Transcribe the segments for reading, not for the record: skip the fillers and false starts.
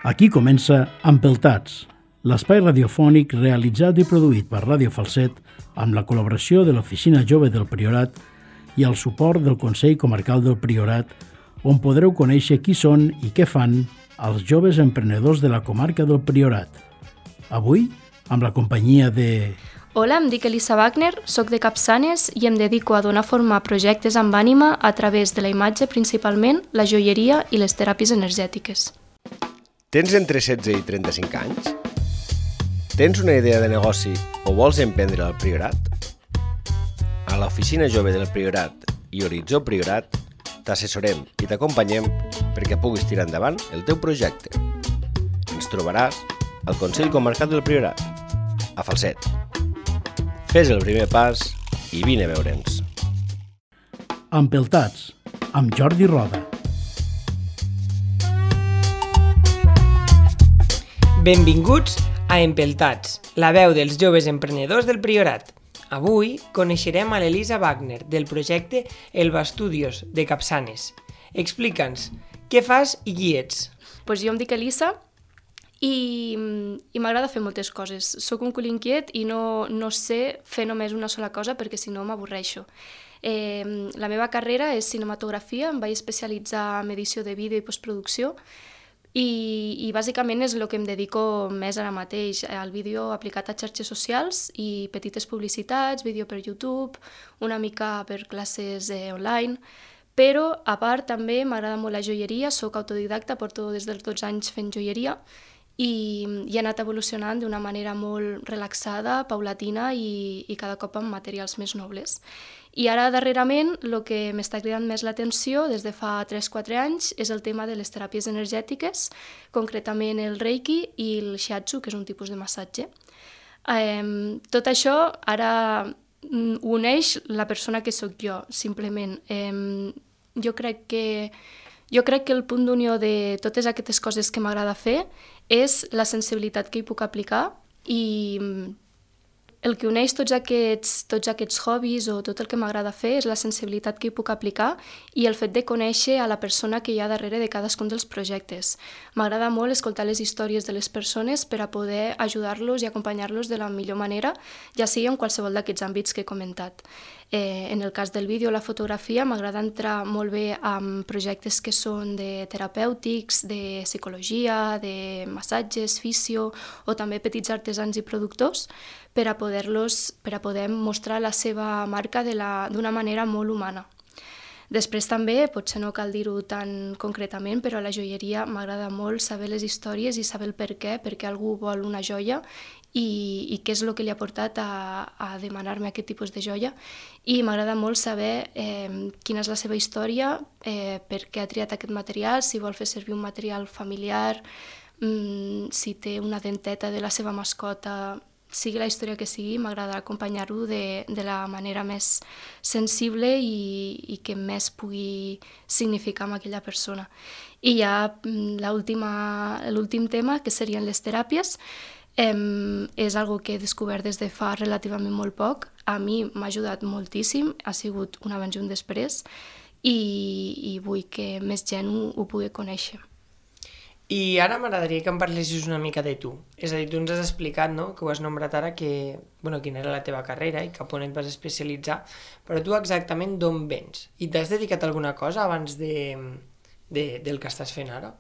Aquí comença Empeltats, l'espai radiofònic realitzat i produït per Ràdio Falset amb la col·laboració de l'Oficina Jove del Priorat i el suport del Consell Comarcal del Priorat, on podreu conèixer qui són i què fan els joves emprenedors de la comarca del Priorat. Avui, amb la companyia de... Hola, em dic Elisa Wagner, soc de Capçanes i em dedico a donar forma a projectes amb ànima a través de la imatge principalment, la joieria i les teràpies energètiques. Tens entre 16 i 35 anys? Tens una idea de negoci o vols emprendre al Priorat? A l'Oficina Jove del Priorat i Horitzó Priorat t'assessorem i t'acompanyem perquè puguis tirar endavant el teu projecte. Ens trobaràs al Consell Comarcal del Priorat, a Falset. Fes el primer pas i vine a veure'ns. Empeltats, amb Jordi Roda. Benvinguts a Empeltats, la veu dels joves emprenedors del Priorat. Avui coneixerem a l'Elisa Wagner del projecte Elba Studios de Capçanes. Explica'ns, què fas i qui ets? Jo em dic Elisa i m'agrada fer moltes coses. Soc un cul inquiet i no sé fer només una sola cosa perquè si no m'avorreixo. La meva carrera és cinematografia, em vaig especialitzar en edició de vídeo i postproducció i bàsicament és el que em dedico més ara mateix, al vídeo aplicat a xarxes socials i petites publicitats, vídeo per YouTube, una mica per classes online, però a part també m'agrada molt la joieria, soc autodidacta, porto des dels 12 anys fent joieria i he anat evolucionant d'una manera molt relaxada, paulatina i cada cop amb materials més nobles. I ara, darrerament, el que m'està cridant més l'atenció des de fa 3-4 anys és el tema de les teràpies energètiques, concretament el Reiki i el Shiatsu, que és un tipus de massatge. Tot això ara uneix la persona que sóc jo, simplement. Jo crec que el punt d'unió de totes aquestes coses que m'agrada fer és la sensibilitat que hi puc aplicar i el que uneix tots aquests hobbies o tot el que m'agrada fer és la sensibilitat que hi puc aplicar i el fet de conèixer a la persona que hi ha darrere de cadascun dels projectes. M'agrada molt escoltar les històries de les persones per a poder ajudar-los i acompanyar-los de la millor manera, ja sigui en qualsevol d'aquests àmbits que he comentat. En el cas del vídeo o la fotografia m'agrada entrar molt bé amb projectes que són de terapèutics, de psicologia, de massatges, fisio o també petits artesans i productors per a poder mostrar la seva marca d'una manera molt humana. Després també, potser no cal dir-ho tan concretament, però a la joieria m'agrada molt saber les històries i saber el per què algú vol una joia i què és el que li ha portat a demanar-me aquest tipus de joia. I m'agrada molt saber quina és la seva història, per què ha triat aquest material, si vol fer servir un material familiar, si té una denteta de la seva mascota, sigui la història que sigui, m'agrada acompanyar-ho de la manera més sensible i que més pugui significar amb aquella persona. I ja l'últim tema, que serien les teràpies, és algo que he descobert des de fa relativament molt poc. A mi m'ha ajudat moltíssim, ha sigut un abans i un després, i vull que més gent ho pugui conèixer. I ara m'agradaria que em parlessis una mica de tu. És a dir, tu ens has explicat, no?, que ho has nombrat ara, quina era la teva carrera i cap on et vas especialitzar, però tu exactament d'on vens? I t'has dedicat a alguna cosa abans del que estàs fent ara?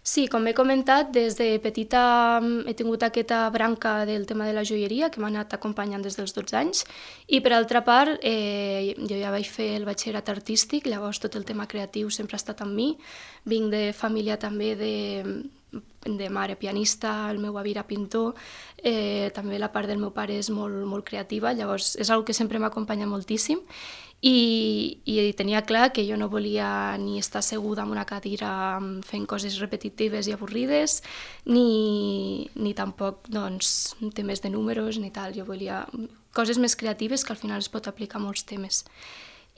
Sí, com he comentat, des de petita he tingut aquesta branca del tema de la joieria que m'ha anat acompanyant des dels 12 anys i per altra part jo ja vaig fer el batxillerat artístic, llavors tot el tema creatiu sempre ha estat amb mi. Vinc de família també de mare pianista, el meu avi era pintor, també la part del meu pare és molt, molt creativa, llavors és una cosa que sempre m'acompanya moltíssim i tenia clar que jo no volia ni estar asseguda en una cadira fent coses repetitives i avorrides ni tampoc temes de números ni tal, jo volia coses més creatives que al final es pot aplicar a molts temes.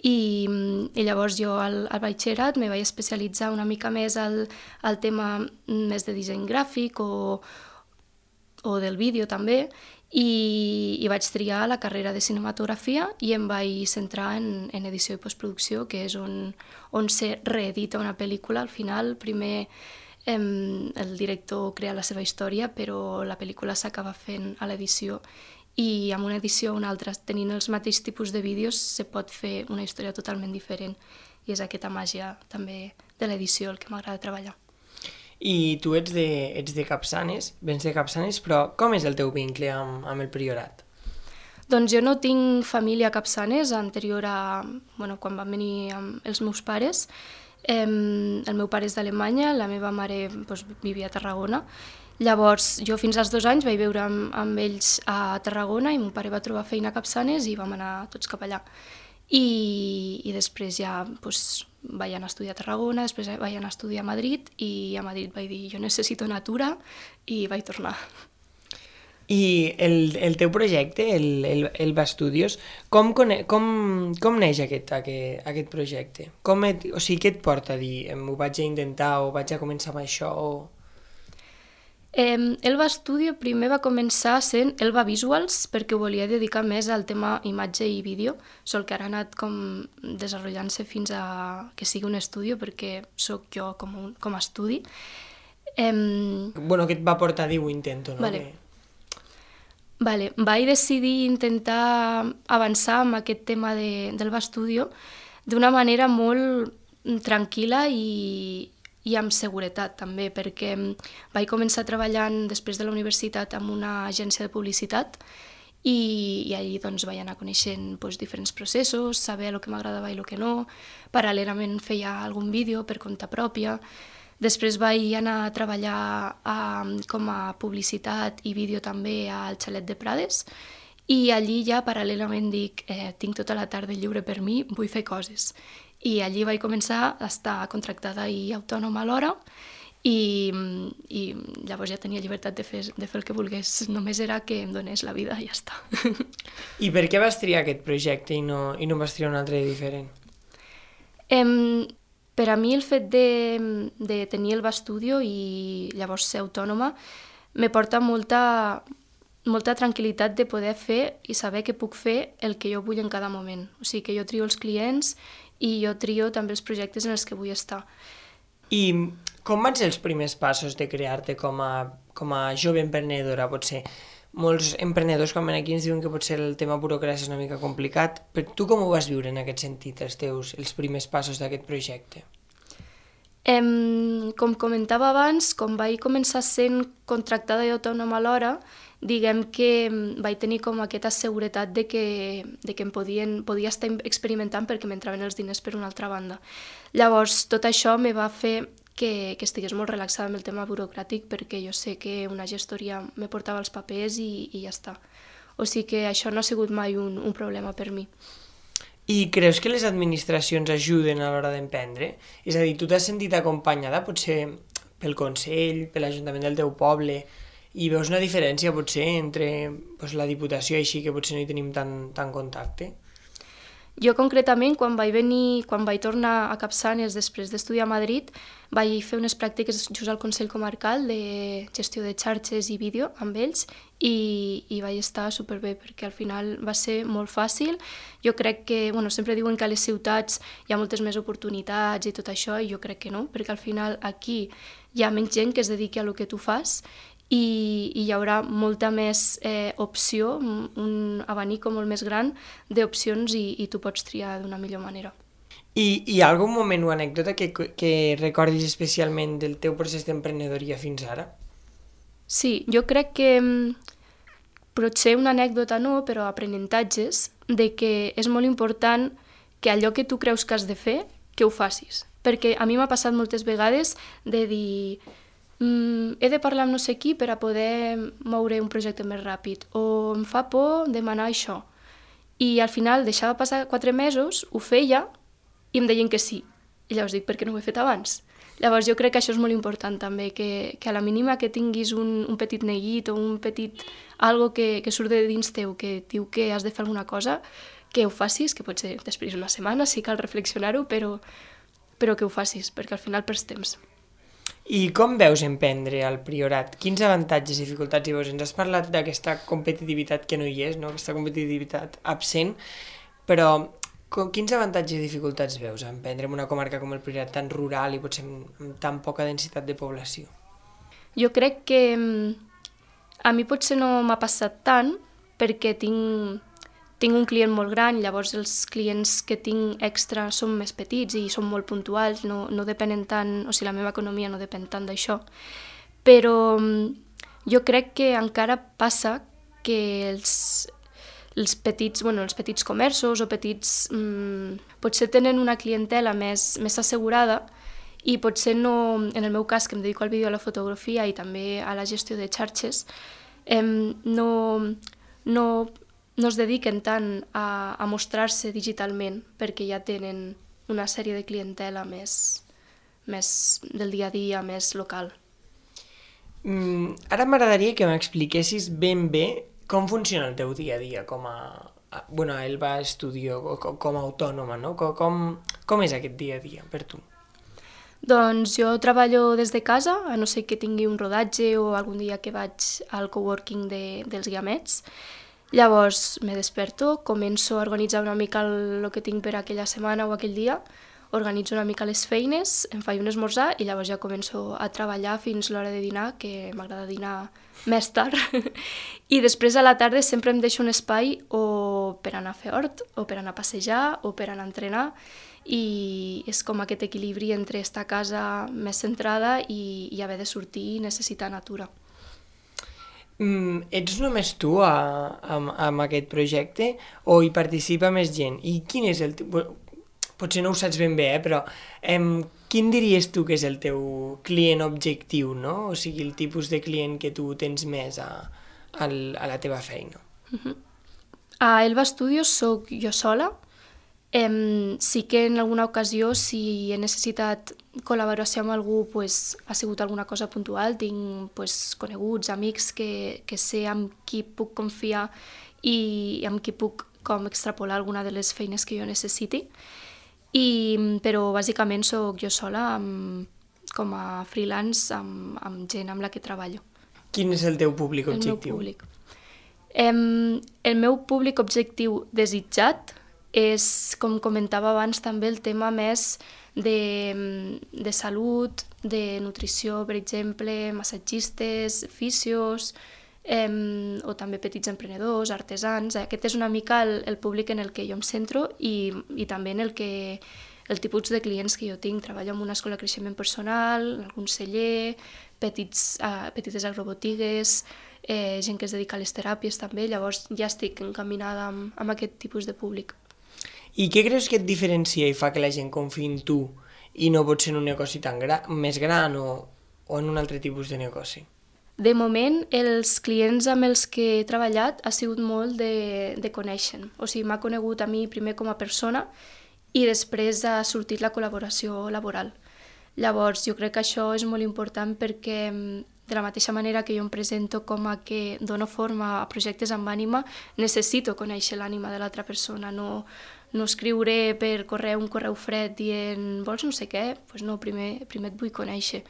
I llavors jo al batxillerat me vaig especialitzar una mica més al tema més de disseny gràfic o del vídeo també i vaig triar la carrera de cinematografia i em vaig centrar en edició i postproducció, que és on se reedita una pel·lícula. Al final, primer el director crea la seva història, però la pel·lícula s'acaba fent a l'edició i amb una edició o una altra, tenint els mateixos tipus de vídeos, se pot fer una història totalment diferent i és aquesta màgia també de l'edició el que m'agrada treballar. I tu ets de Capçanes, vens de Capçanes, però com és el teu vincle amb el Priorat? Doncs jo no tinc família a Capçanes, anterior a quan van venir els meus pares. El meu pare és d'Alemanya, la meva mare vivia a Tarragona. Llavors, jo fins als 2 anys vaig viure amb ells a Tarragona i mon pare va trobar feina a Capçanes i vam anar tots cap allà. I després ja vaig anar a estudiar a Tarragona, després vaig anar a estudiar a Madrid i a Madrid vaig dir jo necessito natura i vaig tornar. I el teu projecte, el Bastudios, com neix aquest projecte? O sigui, què et porta a dir ho vaig a intentar o vaig a començar amb això? El Bastudio primer va començar sent Elba Visuals perquè ho volia dedicar més al tema imatge i vídeo, sol que ara ha anat com desenvolupant-se fins a que sigui un estudi perquè sóc jo com a estudi. Què et va portar a dir ho intento, no? Vaig decidir intentar avançar amb aquest tema del Bastudio d'una manera molt tranquil·la i amb seguretat també, perquè vaig començar treballant després de la universitat en una agència de publicitat i allí vaig anar coneixent diferents processos, saber el que m'agradava i el que no. Paral·lelament feia algun vídeo per compte pròpia. Després vaig anar a treballar com a publicitat i vídeo també al Xalet de Prades i allí ja paral·lelament dic tinc tota la tarda lliure per mi, vull fer coses. I allí vaig començar a estar contractada i autònoma alhora i llavors ja tenia llibertat de fer el que volgués, només era que em donés la vida i ja està. I per què vas triar aquest projecte i no vas triar un altre diferent? Per a mi el fet de tenir el Bastudio i llavors ser autònoma me porta molta tranquil·litat de poder fer i saber que puc fer el que jo vull en cada moment. O sigui que jo trio els clients i jo trio també els projectes en els que vull estar. I com van ser els primers passos de crear-te com a jove emprenedora? Potser molts emprenedors quan ven aquí ens diuen que potser el tema burocràcia és una mica complicat, però tu com ho vas viure en aquest sentit, els primers passos d'aquest projecte? Com comentava abans, com vaig començar sent contractada i autònoma alhora, diguem que vaig tenir com aquesta seguretat de que em podia estar experimentant perquè m'entraven els diners per una altra banda. Llavors, tot això me va fer que estigués molt relaxada amb el tema burocràtic perquè jo sé que una gestoria me portava els papers i ja està. O sigui que això no ha sigut mai un problema per mi. I creus que les administracions ajuden a l'hora d'emprendre? És a dir, tu t'has sentit acompanyada potser pel Consell, per l'Ajuntament del teu poble i veus una diferència potser entre la Diputació i així que potser no hi tenim tant contacte? Jo concretament, quan vaig tornar a Capçanes després d'estudiar a Madrid, vaig fer unes pràctiques just al Consell Comarcal de gestió de xarxes i vídeo amb ells i vaig estar superbé perquè al final va ser molt fàcil. Jo crec que, sempre diuen que a les ciutats hi ha moltes més oportunitats i tot això i jo crec que no, perquè al final aquí hi ha menys gent que es dediqui a lo que tu fas i hi haurà molta més opció, un abanic molt més gran d'opcions i tu pots triar d'una millor manera. I hi ha algun moment o anècdota que recordis especialment del teu procés d'emprenedoria fins ara? Sí, jo crec que potser una anècdota no, però aprenentatges de que és molt important que allò que tu creus que has de fer, que ho facis. Perquè a mi m'ha passat moltes vegades de dir he de parlar amb no sé qui per a poder moure un projecte més ràpid o em fa por demanar això. I al final deixava passar 4 mesos, ho feia i em deien que sí. I llavors dic, per què no ho he fet abans? Llavors jo crec que això és molt important també, que a la mínima que tinguis un petit neguit o un petit algo que surt de dins teu, que diu que has de fer alguna cosa, que ho facis, que potser després d'una setmana sí cal reflexionar-ho, però que ho facis, perquè al final perds temps. I com veus emprendre al Priorat? Quins avantatges i dificultats hi veus? Ens has parlat d'aquesta competitivitat que no hi és, no? Aquesta competitivitat absent, però Quins avantatges i dificultats veus a emprendre en una comarca com el Priorat, tan rural i potser amb tan poca densitat de població? Jo crec que a mi potser no m'ha passat tant perquè tinc un client molt gran, llavors els clients que tinc extra són més petits i són molt puntuals, no depenen tant, o sigui, la meva economia no depèn tant d'això. Però jo crec que encara passa que els petits comerços o petits potser tenen una clientela més assegurada i potser no, en el meu cas, que em dedico al vídeo i a la fotografia i també a la gestió de xarxes, no es dediquen tant a mostrar-se digitalment perquè ja tenen una sèrie de clientela més del dia a dia, més local. Ara m'agradaria que m'expliquessis ben bé com funciona el teu dia a dia com a Elba Studio, com a autònoma, no? Com és aquest dia a dia per tu? Doncs jo treballo des de casa, a no ser que tingui un rodatge o algun dia que vaig al coworking dels Guiamets. Llavors me desperto, començo a organitzar una mica el que tinc per aquella setmana o aquell dia, organitzo una mica les feines, em faig un esmorzar i llavors ja començo a treballar fins l'hora de dinar, que m'agrada dinar més tard. I després a la tarda sempre em deixo un espai o per anar a fer hort, o per anar a passejar, o per anar a entrenar, i és com aquest equilibri entre estar a casa més centrada i haver de sortir i necessitar natura. Ets només tu amb aquest projecte o hi participa més gent? I quin és el potser no ho saps ben bé, però quin diries tu que és el teu client objectiu, no? O sigui, el tipus de client que tu tens més a la teva feina. A Elba Studios soc jo sola. Sí que en alguna ocasió, si he necessitat col·laboració amb algú, ha sigut alguna cosa puntual. Tinc coneguts, amics que sé amb qui puc confiar i amb qui puc com extrapolar alguna de les feines que jo necessiti. Però bàsicament soc jo sola com a freelance amb gent amb la que treballo. Quin és el teu públic objectiu? El meu públic objectiu desitjat és, com comentava abans, també el tema més de salut, de nutrició, per exemple, massatgistes, fisios, o també petits emprenedors, artesans. Aquest és una mica el públic en el que jo em centro i també en el tipus de clients que jo tinc. Treballo en una escola de creixement personal, en algun celler, petites agrobotigues, gent que es dedica a les teràpies també, llavors ja estic encaminada amb aquest tipus de públic. I què creus que et diferencia i fa que la gent confiï en tu i no pot ser en un negoci més gran o en un altre tipus de negoci? De moment, els clients amb els que he treballat ha sigut molt de conèixer. O sigui, m'ha conegut a mi primer com a persona i després ha sortit la col·laboració laboral. Llavors, jo crec que això és molt important perquè de la mateixa manera que jo em presento com a que dono forma a projectes amb ànima, necessito conèixer l'ànima de l'altra persona, no escriuré per correu un correu fred dient vols no sé què, doncs no, primer et vull conèixer.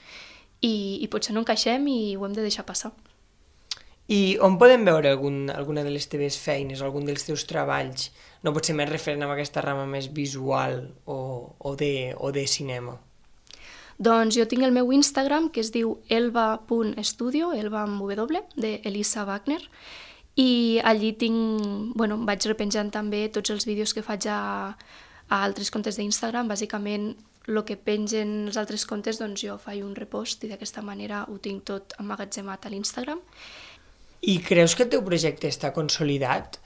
I potser no encaixem i ho hem de deixar passar. I on podem veure alguna de les teves feines o algun dels teus treballs? No pot ser més referent amb aquesta rama més visual o de cinema? Doncs jo tinc el meu Instagram, que es diu elba.studio, elba amb W, d'Elisa Wagner, i allí vaig repenjant també tots els vídeos que faig a altres comptes d'Instagram. Bàsicament, el que pengen els altres comptes, doncs jo faig un repost i d'aquesta manera ho tinc tot emmagatzemat a l'Instagram. I creus que el teu projecte està consolidat?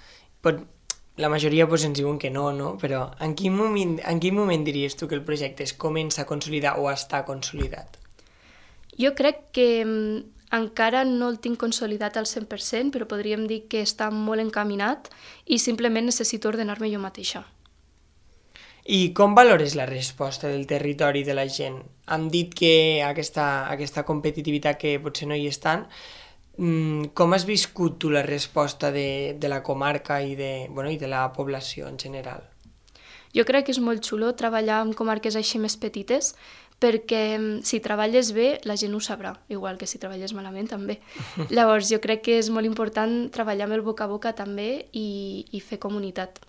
La majoria ens diuen que no, però en quin moment diries tu que el projecte es comença a consolidar o està consolidat? Jo crec que encara no el tinc consolidat al 100%, però podríem dir que està molt encaminat i simplement necessito ordenar-me jo mateixa. I com valores la resposta del territori de la gent? Hem dit que aquesta competitivitat que potser no hi és tant. Com has viscut tu la resposta de la comarca i de la població en general? Jo crec que és molt xulo treballar en comarques així més petites perquè si treballes bé la gent ho sabrà, igual que si treballes malament també. Llavors jo crec que és molt important treballar amb el boca a boca també i fer comunitat.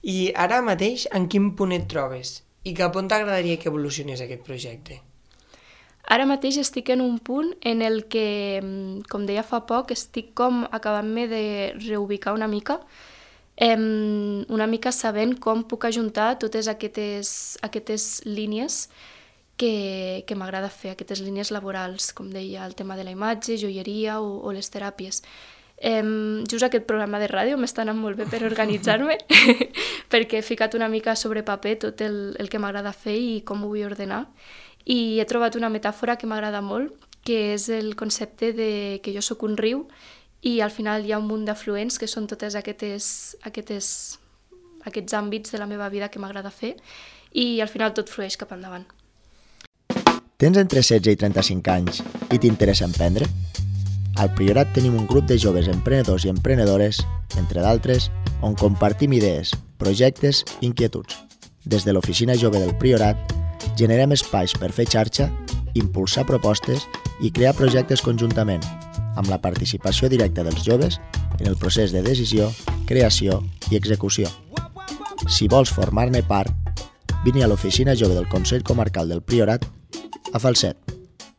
I ara mateix, en quin punt et trobes? I cap on t'agradaria que evolucionés aquest projecte? Ara mateix estic en un punt en el que, com deia fa poc, estic com acabant-me de reubicar una mica sabent com puc ajuntar totes aquestes línies que m'agrada fer, aquestes línies laborals, com deia, el tema de la imatge, joieria o les teràpies. Just aquest programa de ràdio m'està anant molt bé per organitzar-me, perquè he ficat una mica sobre paper tot el que m'agrada fer i com ho vull ordenar. I he trobat una metàfora que m'agrada molt, que és el concepte de que jo sóc un riu i al final hi ha un munt d'afluents que són totes aquests àmbits de la meva vida que m'agrada fer i al final tot flueix cap endavant. Tens entre 16 i 35 anys i t'interessa emprendre? Al Priorat tenim un grup de joves emprenedors i emprenedores, entre d'altres, on compartim idees, projectes i inquietuds. Des de l'Oficina Jove del Priorat, generem espais per fer xarxa, impulsar propostes i crear projectes conjuntament, amb la participació directa dels joves en el procés de decisió, creació i execució. Si vols formar-ne part, vine a l'Oficina Jove del Consell Comarcal del Priorat a Falset.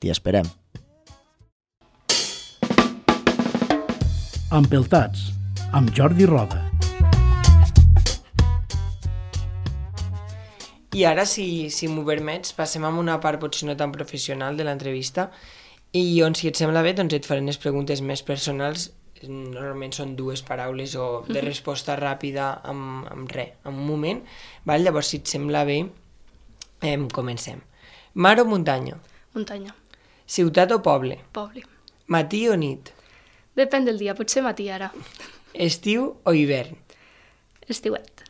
T'hi esperem. Empeltats, amb Jordi Roda. I ara, si m'ho permets, passem a una part potser no tan professional de l'entrevista i on, si et sembla bé, doncs et faré unes preguntes més personals. Normalment són 2 paraules o de resposta ràpida amb res, en un moment. Val? Llavors, si et sembla bé, comencem. Mar o muntanya? Muntanya. Ciutat o poble? Poble. Matí o nit? Depèn del dia, potser matí ara. Estiu o hivern? Estiuet.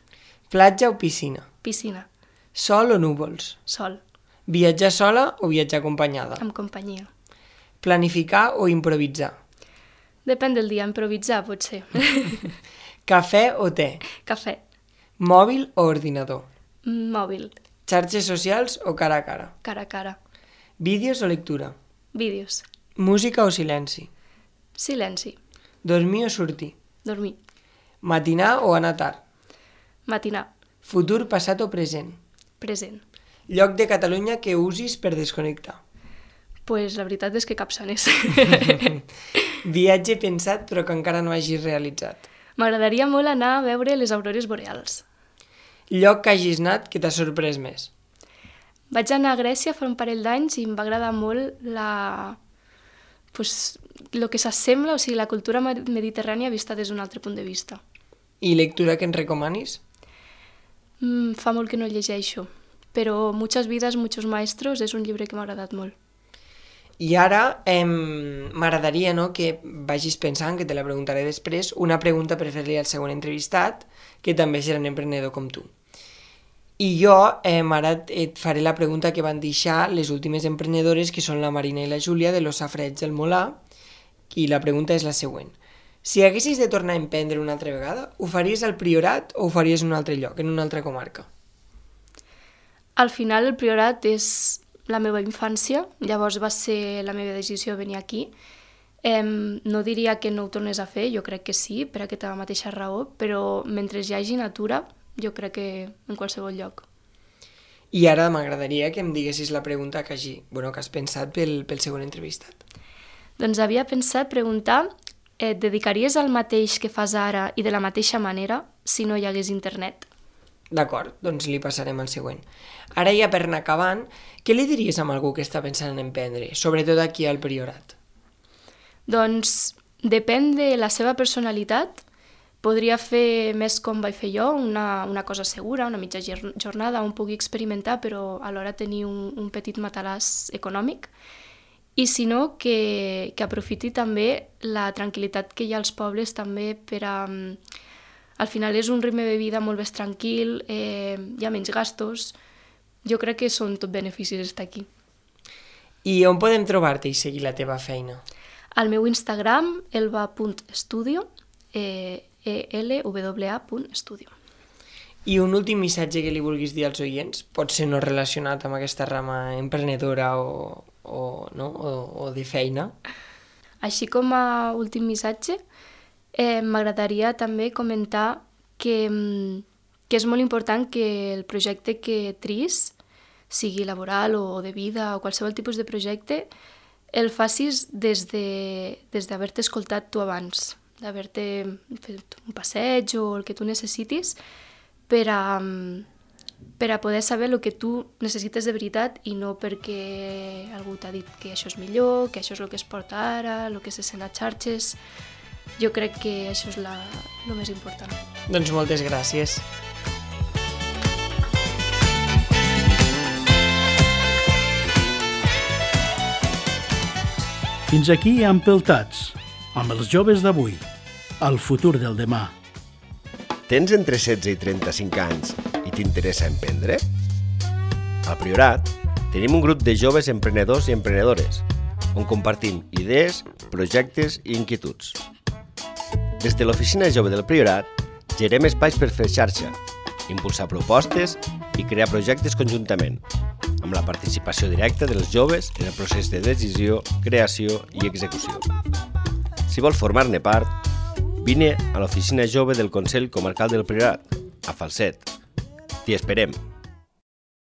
Platja o piscina? Piscina. Sol o núvols? Sol. Viatjar sola o viatjar acompanyada? Amb companyia. Planificar o improvisar? Depèn del dia, improvisar potser. Cafè o te? Cafè. Mòbil o ordinador? Mòbil. Xarxes socials o cara a cara? Cara a cara. Vídeos o lectura? Vídeos. Música o silenci? Silenci. Dormir o sortir? Dormir. Matinar o anar tard? Matinar. Futur, passat o present? Present. Lloc de Catalunya que usis per desconnectar? Pues la veritat és que cap sanés. Viatge pensat però que encara no hagis realitzat? M'agradaria molt anar a veure les aurores boreals. Lloc que hagis anat que t'ha sorprès més? Vaig anar a Grècia fa un parell d'anys i em va agradar molt el que s'assembla, o sigui, la cultura mediterrània vista des d'un altre punt de vista. I lectura que ens recomanis? Fa molt que no llegeixo, però Muchas vidas, muchos maestros és un llibre que m'ha agradat molt. I ara m'agradaria que vagis pensant, que te la preguntaré després, una pregunta per fer-li al següent entrevistat, que també serà un emprenedor com tu. I jo ara et faré la pregunta que van deixar les últimes emprenedores, que són la Marina i la Júlia, de los Safareigs del Molar, i la pregunta és la següent. Si haguessis de tornar a emprendre una altra vegada, ho faries al Priorat o ho faries en un altre lloc, en una altra comarca? Al final el Priorat és la meva infància, llavors va ser la meva decisió venir aquí. No diria que no ho tornés a fer, jo crec que sí, per aquesta mateixa raó, però mentre hi hagi natura, jo crec que en qualsevol lloc. I ara m'agradaria que em diguessis la pregunta que has pensat pel següent entrevistat. Doncs havia pensat preguntar, et dedicaries al mateix que fas ara i de la mateixa manera si no hi hagués internet? D'acord, doncs li passarem al següent. Ara ja per anar acabant, què li diries a algú que està pensant en emprendre, sobretot aquí al Priorat? Doncs depèn de la seva personalitat. Podria fer més com vaig fer jo, una cosa segura, una mitja jornada on pugui experimentar, però alhora tenir un petit matalàs econòmic. I si no, que aprofiti també la tranquil·litat que hi ha als pobles també per a... Al final és un ritme de vida molt més tranquil, hi ha menys gastos. Jo crec que són tot beneficis estar aquí. I on podem trobar-te i seguir la teva feina? Al meu Instagram, elva.studio, elwa.studio. I un últim missatge que li vulguis dir als oients, pot ser no relacionat amb aquesta rama emprenedora o de feina. Així com a últim missatge, m'agradaria també comentar que que és molt important que el projecte que tris, sigui laboral o de vida o qualsevol tipus de projecte, el facis des d'haver-te escoltat tu abans, d'haver-te fet un passeig o el que tu necessitis per a poder saber el que tu necessites de veritat i no perquè algú t'ha dit que això és millor, que això és el que es porta ara, el que se sent a xarxes. Jo crec que això és el més important. Doncs moltes gràcies. Fins aquí Empeltats, amb els joves d'avui, el futur del demà. Tens entre 16 i 35 anys i t'interessa emprendre? Al Priorat tenim un grup de joves emprenedors i emprenedores on compartim idees, projectes i inquietuds. Des de l'Oficina Jove del Priorat gerem espais per fer xarxa, impulsar propostes i crear projectes conjuntament, amb la participació directa dels joves en el procés de decisió, creació i execució. Si vols formar-ne part, vine a l'Oficina Jove del Consell Comarcal del Priorat, a Falset. T'hi esperem!